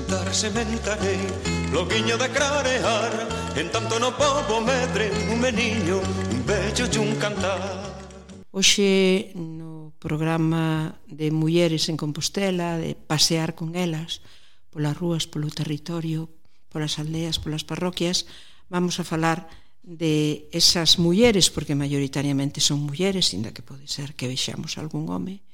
sentar sementarei, loguiño de clarear, en tanto no pobo medre un meniño, un bello e un cantar. Hoxe no programa de Mulleres en Compostela, de pasear con elas polas rúas, polo territorio, polas aldeas, polas parroquias, vamos a falar de esas mulleres, porque maioritariamente son mulleres, ainda que pode ser que vexamos algún home,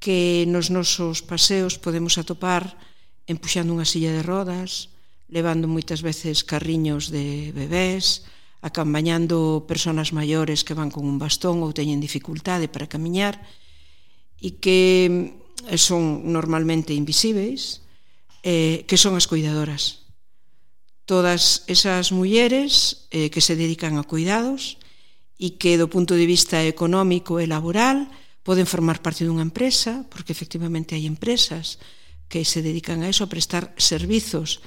que nos nosos paseos podemos atopar empuxando unha silla de rodas, levando moitas veces carriños de bebés, acompañando persoas maiores que van con un bastón ou teñen dificultade para camiñar e que son normalmente invisíveis, que son as cuidadoras. Todas esas mulleres que se dedican a cuidados e que do punto de vista económico e laboral poden formar parte dunha empresa, porque efectivamente hai empresas que se dedican a eso, a prestar servizos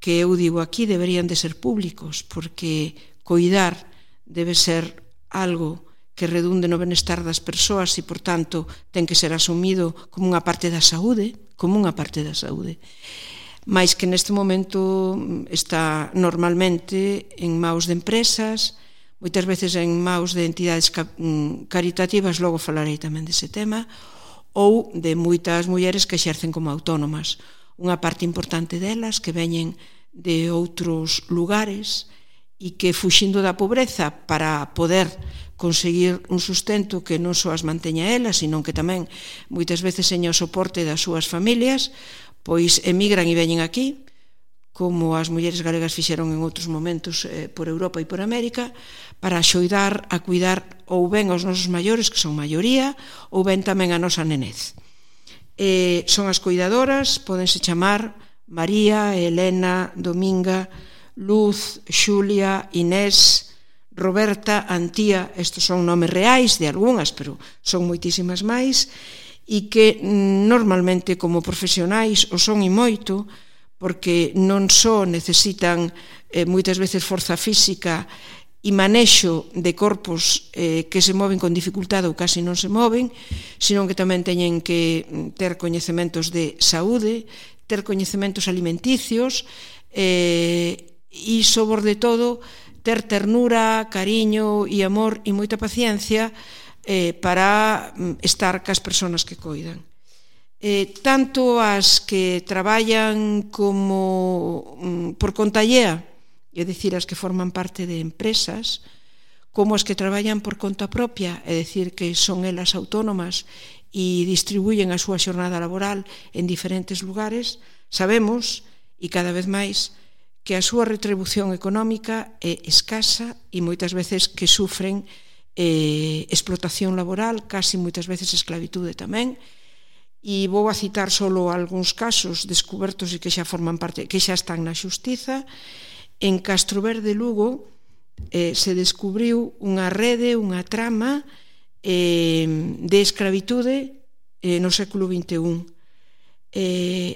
que eu digo aquí deberían de ser públicos, porque coidar debe ser algo que redunde no benestar das persoas e, por tanto, ten que ser asumido como unha parte da saúde, mais que neste momento está normalmente en maus de empresas, moitas veces en maus de entidades caritativas, logo falarei tamén dese tema, ou de moitas mulleres que exercen como autónomas. Unha parte importante delas que veñen de outros lugares e que, fuxindo da pobreza para poder conseguir un sustento que non só as manteña elas, sino que tamén moitas veces seña o soporte das súas familias, pois emigran e veñen aquí, como as mulleres galegas fixeron en outros momentos por Europa e por América, para axudar a cuidar ou ben aos nosos maiores, que son maioría, ou ben tamén a nosa nenez. Son as cuidadoras, podense chamar María, Elena, Dominga, Luz, Xulia, Inés, Roberta, Antía. Estes son nomes reais de algunhas, pero son moitísimas máis, e que normalmente como profesionais o son e moito, porque non só necesitan moitas veces forza física e manexo de corpos que se moven con dificultade ou casi non se moven, sino que tamén teñen que ter coñecementos de saúde, ter coñecementos alimenticios e, sobre todo, ter ternura, cariño e amor e moita paciencia para estar cas persoas que coidan. Tanto as que traballan como por conta allea, é dicir, as que forman parte de empresas, como as que traballan por conta propia, é dicir, que son elas autónomas e distribuyen a súa xornada laboral en diferentes lugares, sabemos, e cada vez máis, que a súa retribución económica é escasa e moitas veces que sufren explotación laboral, casi moitas veces esclavitude tamén. E vou a citar solo algúns casos descubertos e que xa forman parte, que xa están na xustiza. En Castroverde, Lugo, se descubriu unha rede, unha trama de esclavitude no século XXI.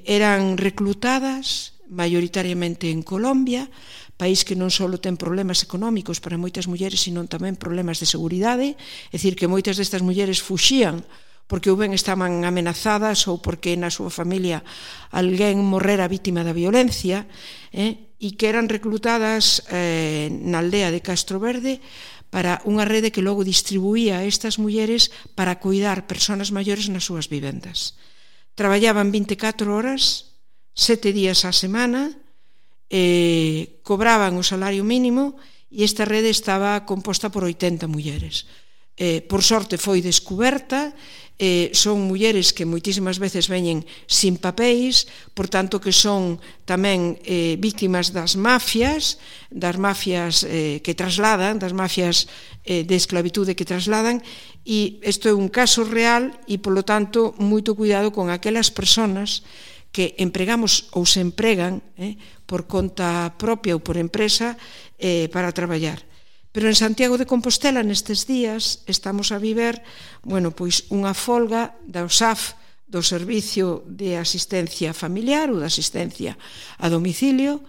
Eran reclutadas maioritariamente en Colombia, país que non só ten problemas económicos para moitas mulleres, sino tamén problemas de seguridade, é dicir, que moitas destas mulleres fuxían porque ou ben estaban amenazadas ou porque na súa familia alguén morrera vítima da violencia, e que eran reclutadas na aldea de Castroverde para unha rede que logo distribuía a estas mulleres para cuidar persoas maiores nas súas vivendas. Traballaban 24 horas, 7 días á semana, cobraban o salario mínimo e esta rede estaba composta por 80 mulleres. Por sorte foi descuberta, son mulleres que moitísimas veces veñen sin papéis, por tanto que son tamén víctimas das mafias que trasladan, das mafias de esclavitude que trasladan, e isto é un caso real e, polo tanto, moito cuidado con aquelas persoas que empregamos ou se empregan por conta propia ou por empresa para traballar. Pero en Santiago de Compostela nestes días estamos a viver, pois unha folga da OSAF, do Servicio de Asistencia Familiar ou da Asistencia a Domicilio,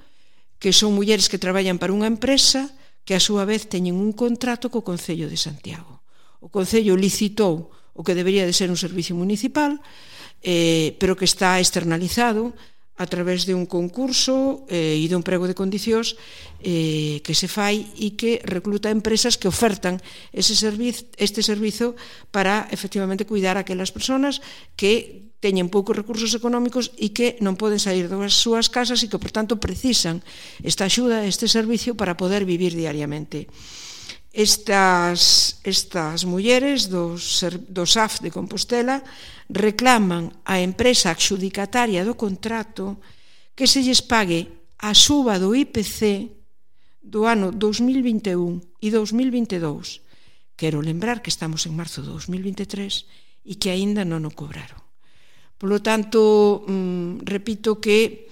que son mulleres que traballan para unha empresa que a súa vez teñen un contrato co Concello de Santiago. O Concello licitou o que debería de ser un servicio municipal, pero que está externalizado a través de un concurso e de un prego de condicións que se fai e que recluta empresas que ofertan este servizo para efectivamente cuidar a aquelas persoas que teñen poucos recursos económicos e que non poden sair das súas casas e que, por tanto, precisan esta axuda, este servicio para poder vivir diariamente. Estas mulleres do SAF de Compostela reclaman á empresa adxudicataria do contrato que se lles pague a suba do IPC do ano 2021 e 2022. Quero lembrar que estamos en marzo de 2023 e que aínda non o cobraron. Polo tanto, repito que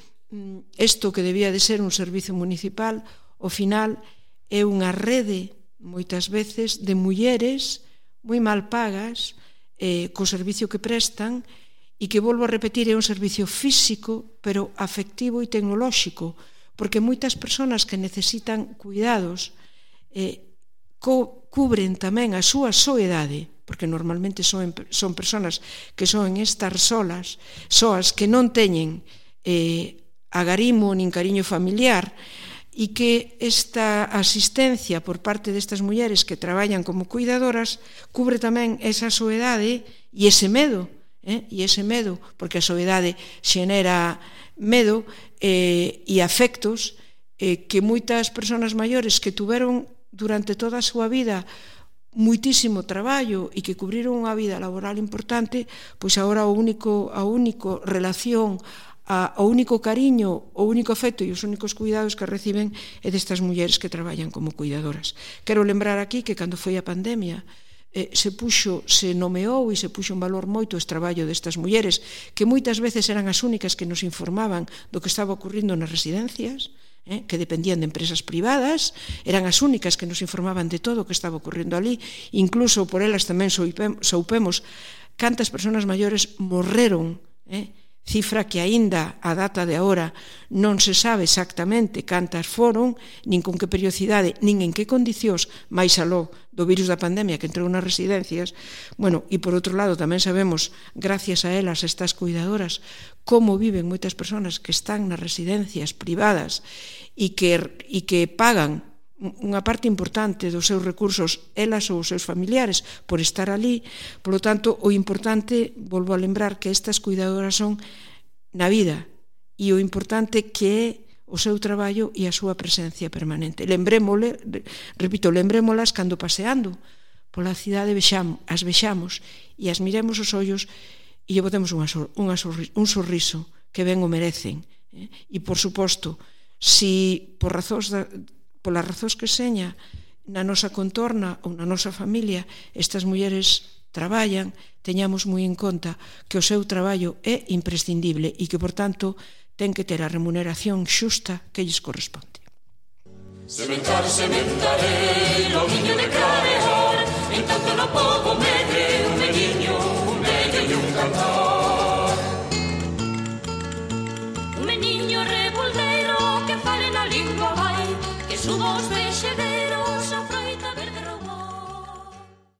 isto que debía de ser un servizo municipal, ao final é unha rede moitas veces de mulleres moi mal pagas co servicio que prestan e que, volvo a repetir, é un servicio físico pero afectivo e tecnolóxico, porque moitas persoas que necesitan cuidados cubren tamén a súa soedade, porque normalmente son persoas que son estar soas que non teñen agarimo nin cariño familiar, e que esta asistencia por parte destas mulleres que traballan como cuidadoras cubre tamén esa soedade e ese medo, porque a soedade xenera medo e afectos que moitas persoas maiores que tuveron durante toda a súa vida muitísimo traballo e que cubriron unha vida laboral importante, pois agora a única relación, o único cariño, o único afecto e os únicos cuidados que reciben é destas mulleres que traballan como cuidadoras. Quero lembrar aquí que cando foi a pandemia se nomeou e se puxo en valor moito este traballo destas mulleres que moitas veces eran as únicas que nos informaban do que estaba ocurrindo nas residencias, que dependían de empresas privadas, eran as únicas que nos informaban de todo o que estaba ocurrindo ali, incluso por elas tamén soupemos cantas persoas maiores morreron, cifra que aínda a data de agora non se sabe exactamente cantas foron, nin con que periodicidade, nin en que condicións, máis aló do virus da pandemia que entrou nas residencias. Bueno, e por outro lado tamén sabemos, gracias a elas, estas cuidadoras, como viven moitas persoas que están nas residencias privadas e que pagan unha parte importante dos seus recursos, elas ou os seus familiares, por estar ali. Por lo tanto, o importante, volvo a lembrar, que estas cuidadoras son na vida e o importante que é o seu traballo e a súa presencia permanente. Lembrémolas cando paseando pola cidade as vexamos e as miremos os ollos e lle botemos un sorriso que ben o merecen. E, por suposto, si polas razóns que seña na nosa contorna ou na nosa familia estas mulleres traballan, teñamos moi en conta que o seu traballo é imprescindible e que, por tanto, ten que ter a remuneración xusta que lles corresponde. Sementaré, lo niño de Clareja.